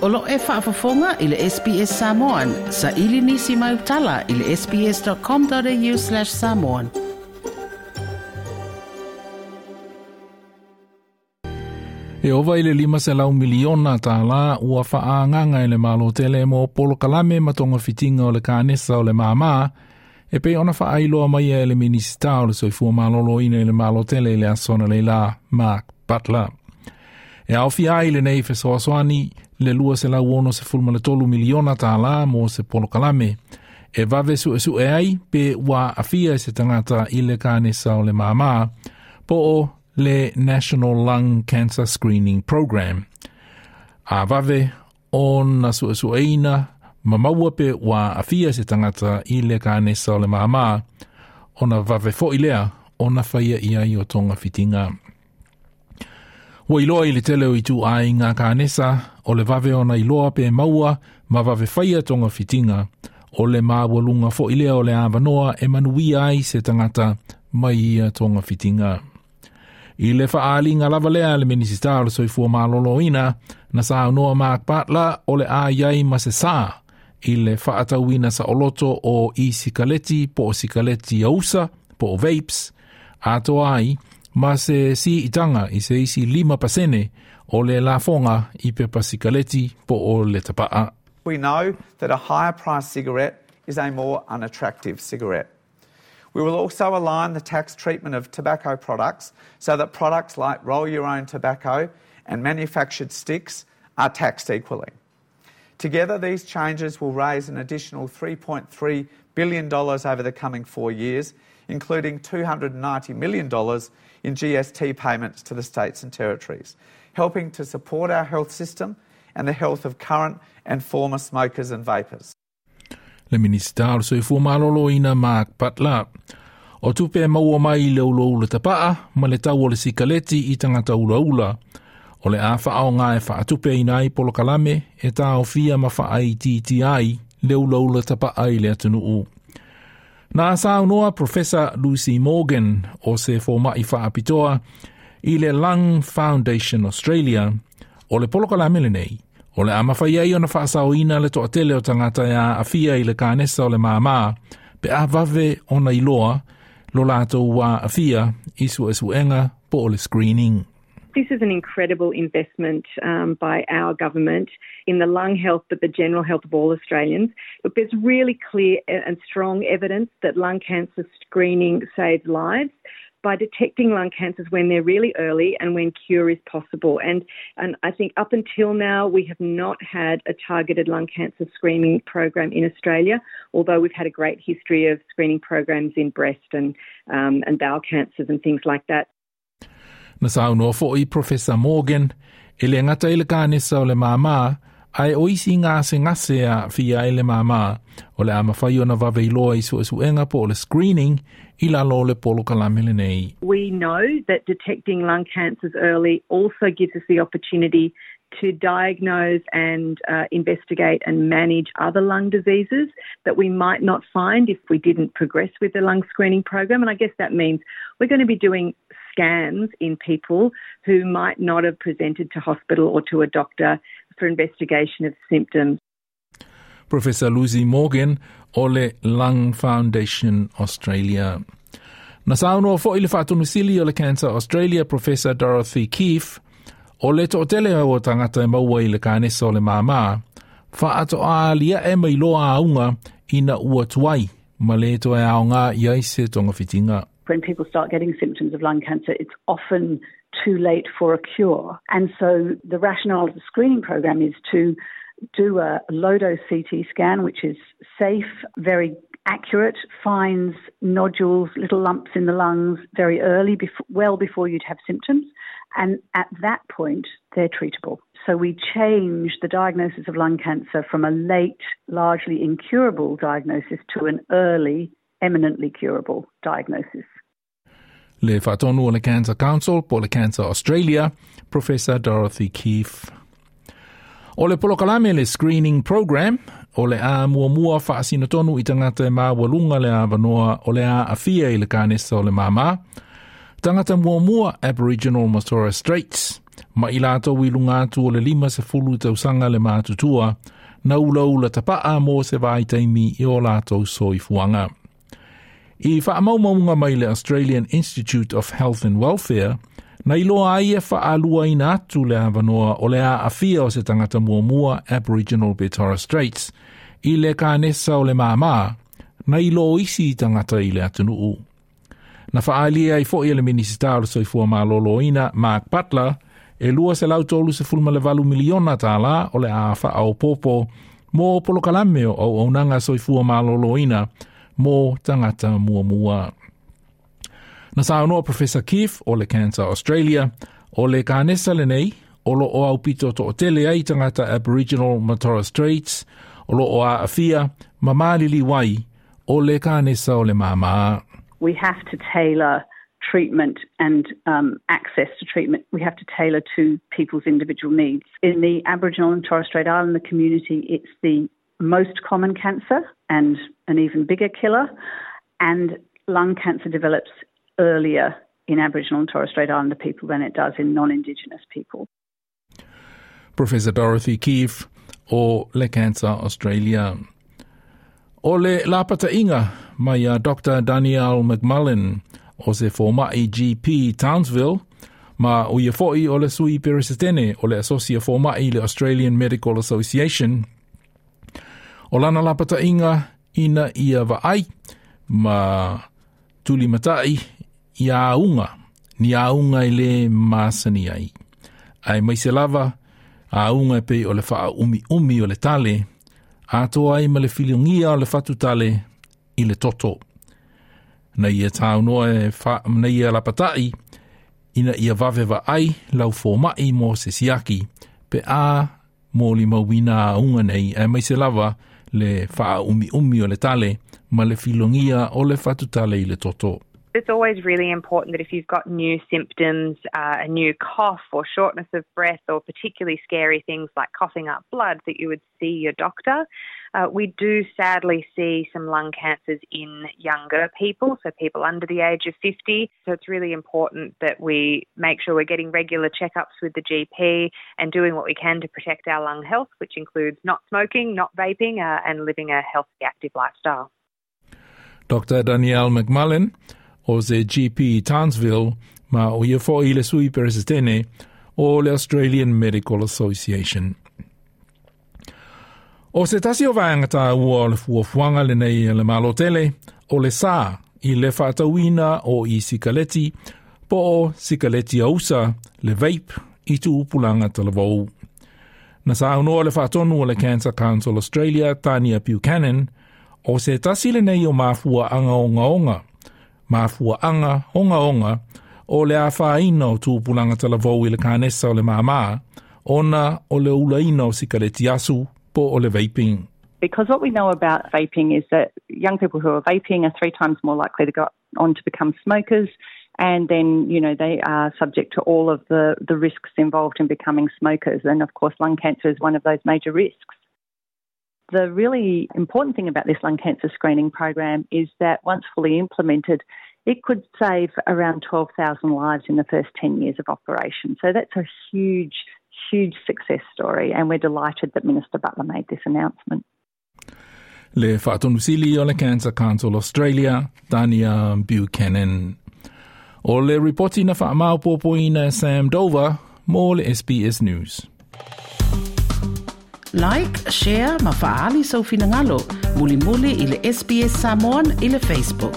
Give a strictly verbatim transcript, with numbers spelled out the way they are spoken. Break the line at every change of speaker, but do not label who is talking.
O lo e faafofoga i le S B S Samoan, sa ili nisi mai utala i le S B S dot com dot A U slash samoan.
E ova i le lima selau miliona tālā ua whaanganga e le malo tele mo polokalame ma togafitiga o le kanesa o le māmā e pei ona faailoa mai e le Minisita o le Soifua Maloloina i le Malo Tele i le aso analeila, Mark Butler. E aofia ai lenei fesoasoani le lua selau ono sefulu ma le tolu miliona tālā mo se polokalame e vave suesue ai pe ua aafia se tagata i le kanesa o le māmā po o le National Lung Cancer Screening Program. A vave ona suesueina ma maua pe ua aafia se tagata i le kanesa o le māmā, ona vave fo'i lea ona faia ia i o togafitiga. Ua iloa i le tele o ituaiga kanesa o le vave ona iloa pe maua ma vave faia togafitiga o le maualuga fo'i lea o le avanoa e manuia ai se tagata mai ia togafitiga. I le faaaliga lava lea le Minisita o le Soifua Maloloina na saunoa Mark Butler o le a iai ma se sā i le faatauina saoloto o i-sikaleti po o sikaleti ausa po o vapes atoa ai ma se siitaga i se isi lima pasene o le lafoga i pepa sikaleti po o le tapaa.
We know that a higher priced cigarette is a more unattractive cigarette. We will also align the tax treatment of tobacco products so that products like roll your own tobacco and manufactured sticks are taxed equally. Together, these changes will raise an additional three point three billion dollars over the coming four years, including two hundred ninety million dollars in G S T payments to the states and territories, helping to support our health system and the health of current and former smokers and vapers.
Le Minisita o le Soifua Maloloina Mark Butler. O tupe e maua mai i le ulaula tapaa ma le tau o le sikaleti i tagata ulaula o le a faaaoga e faatupeina ai polokalame e taofia ma faaitiitia ai le ulaula tapaa i le atunuu. Na saunoa Professor Lucy Morgan o se fomai faapitoa i le Lung Foundation Australia o le polokalame lenei o le a mafai ai ona faasaoina le toatele o tagata e aafia i le kanesa o le māmā pe a vave ona iloa lo latou aafia i suesuega po o le screening.
This is an incredible investment um, by our government in the lung health, but the general health of all Australians. Look, there's really clear and strong evidence that lung cancer screening saves lives by detecting lung cancers when they're really early and when cure is possible. And, and I think up until now, we have not had a targeted lung cancer screening program in Australia, although we've had a great history of screening programs in breast and, um, and bowel cancers and things like that.
Na saunoa fo'i Professor Morgan e le gata i le kanesa o le māmā ae o isi gasegase e aafia ai le māmā o le a mafai ona vave iloa i suesuega po o le screening i lalo o le polokalame lenei.
We know that detecting lung cancers early also gives us the opportunity to diagnose and uh, investigate and manage other lung diseases that we might not find if we didn't progress with the lung screening program. And I guess that means we're going to be doing scans in people who might not have presented to hospital or to a doctor for investigation of symptoms.
Professor Lucy Morgan o le Lung Foundation Australia. Na saunoa fo'i le Faatonusili o le Cancer Australia, Professor Dorothy Keefe, o le toatele o tagata e maua i le kanesa o le māmā, faatoa aliae mai loa auga ina ua tuai, ma le toe aoga i ai se togafitiga.
When people start getting symptoms of lung cancer, it's often too late for a cure. And so the rationale of the screening program is to do a low dose C T scan, which is safe, very accurate, finds nodules, little lumps in the lungs very early, before, well before you'd have symptoms. And at that point, they're treatable. So we change the diagnosis of lung cancer from a late, largely incurable diagnosis to an early, eminently curable diagnosis.
Le Faatonu o le Cancer Council po le Cancer Australia, Professor Dorothy Keefe. O le polokalame le screening program, o le a muamua faasinotonu i tagata e maualuga le avanoa o le aafia i le kanesa o le māmā. Tagata muamua Aboriginal ma Torres Straits, Ma i lātou i lunga atu o le lima sefulu tausaga le matutua, na ulaula tapa'a mo se vaitaimi i o lātou soifuaga. I faamaumauga mai le Australian Institute of Health and Welfare, na iloa ai e faaluaina atu le avanoa o le aafia o se tagata muamua Aboriginal pe Torres Straits i le kanesa o le māmā, na ilo isi tagata i le atunuu. Na faaalia ai fo'i e le Minisita o le Soifua Maloloina Mark Butler e lua selau tolu sefulu ma le valu miliona tālā o le a faaopoopo mo polokalame o auaunaga soifua maloloina mo tagata muamua. Na saunoa Professor Keefe o le Cancer Australia o le kanesa lenei o loo aupito to'atele ai tagata Aboriginal ma Torres Straits o loo aafia ma maliliu ai o le kanesa o le māmā.
We have to tailor treatment and um, access to treatment. We have to tailor to people's individual needs. In the Aboriginal and Torres Strait Islander community, it's the most common cancer and an even bigger killer. And lung cancer develops earlier in Aboriginal and Torres Strait Islander people than it does in non-Indigenous people.
Professor Dorothy Keefe o le Cancer Australia. O le lapata'iga mai a Doctor Danielle McMullen o se foma'i G P Townsville ma o ia fo'i o le sui peresetene o le Asosi a Foma'i le Australian Medical Association. O lana lapata'iga ina ia va'ai ma tulimata'i i auga, ni auga i le masani ai. Aemaise lava, auga e pei o le faaumiumi o le tale, atoa ai ma le filigia o le fatutale i le toto. Na ia saunoa e fa, na ia lapata'i, ina ia vave va'ai lau foma'i mo se siaki, pe a molimauina auga nei, aemaise lava le faaumiumi o le tale ma le filogia o le fatutale i le toto.
It's always really important that if you've got new symptoms, uh, a new cough or shortness of breath, or particularly scary things like coughing up blood, that you would see your doctor. Uh, we do sadly see some lung cancers in younger people, so people under the age of fifty. So it's really important that we make sure we're getting regular checkups with the G P and doing what we can to protect our lung health, which includes not smoking, not vaping, uh, and living a healthy, active lifestyle.
Doctor Danielle McMullen o se G P Townsville ma o ia fo'i le sui peresetene o le Australian Medical Association. O se tasi o vaega tāua o le fuafuaga lenei le Malo tele o le sā i le faatauina o i sikaleti po o sikaleti ausa le vape i tupulaga talavou. Na saunoa le faatonu o le Cancer Council Australia Tania Buchanan o se tasi lenei o mafuaga ogaoga mafuaga ogaoga o le afaina o tupulaga talavou i le kanesa o le māmā ona o le ulaina o sikaleti asu po o le vaping.
Because what we know about vaping is that young people who are vaping are three times more likely to go on to become smokers. And then, you know, they are subject to all of the, the risks involved in becoming smokers. And of course, lung cancer is one of those major risks. The really important thing about this lung cancer screening program is that once fully implemented, it could save around twelve thousand lives in the first ten years of operation. So that's a huge, huge success story, and we're delighted that Minister Butler made this announcement.
Le Faatonusili o le Cancer Council Australia, Tania Buchanan. O le ripoti na faamaopoopoina Sam Dover mo le S B S News.
Like, share ma faaali sou finagalo. Mulimuli i le S B S Samoan i le Facebook.